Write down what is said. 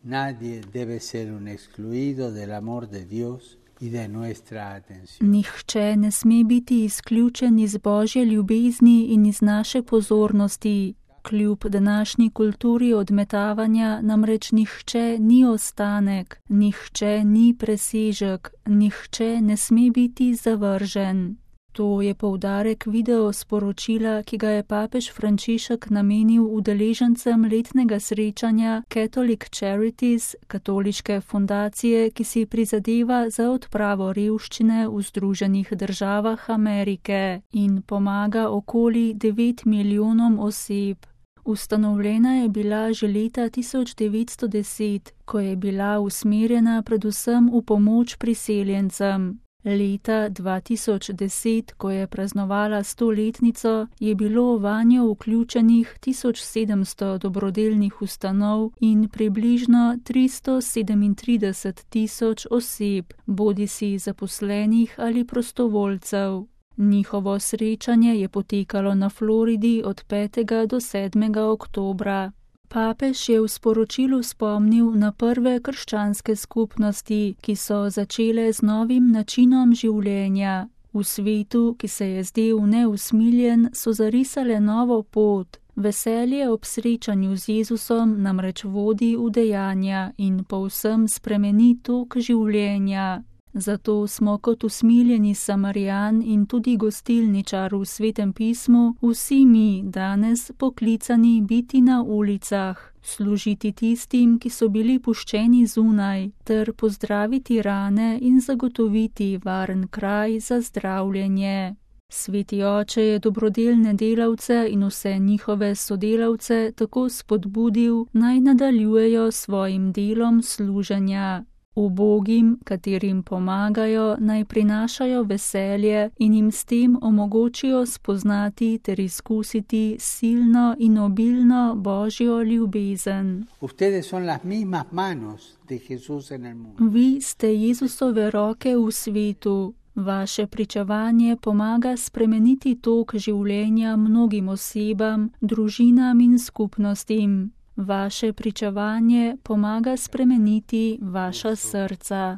Nadie debe ser un excluido del amor de Dios y de nuestra atención. Nihče ne sme biti izključen iz Božje ljubezni in iz naše pozornosti. Kljub današnji kulturi odmetavanja namreč nihče ni ostanek, nihče ni presežek, nihče ne sme biti zavržen. To je poudarek video sporočila, ki ga je papež Frančišek namenil udeležencem letnega srečanja Catholic Charities, katoliške fundacije, ki si prizadeva za odpravo revščine v Združenih državah Amerike in pomaga okoli 9 milijonom oseb. Ustanovljena je bila že leta 1910, ko je bila usmerjena predvsem v pomoč priseljencem. Leta 2010, ko je praznovala 100-letnico, je bilo vanjo vključenih 1700 dobrodelnih ustanov in približno 337 000 oseb, bodisi zaposlenih ali prostovoljcev. Njihovo srečanje je potekalo na Floridi od 5. do 7. oktobra. Papež je v sporočilu spomnil na prve krščanske skupnosti, ki so začele z novim načinom življenja. V svetu, ki se je zdel neusmiljen, so zarisale novo pot. Veselje ob srečanju z Jezusom namreč vodi v dejanja in povsem spremeni tok življenja. Zato smo kot usmiljeni Samarijan in tudi gostilničar v Svetem pismu vsi mi danes poklicani biti na ulicah, služiti tistim, ki so bili puščeni zunaj, ter pozdraviti rane in zagotoviti varen kraj za zdravljenje. Sveti oče je dobrodelne delavce in vse njihove sodelavce tako spodbudil, naj nadaljujejo svojim delom služenja. Ubogim, katerim pomagajo, naj prinašajo veselje in jim s tem omogočijo spoznati ter izkusiti silno in obilno Božjo ljubezen. Vi ste Jezusove roke v svetu. Vaše pričevanje pomaga spremeniti tok življenja mnogim osebam, družinam in skupnostim. Vaše pričevanje pomaga spremeniti vaša srca.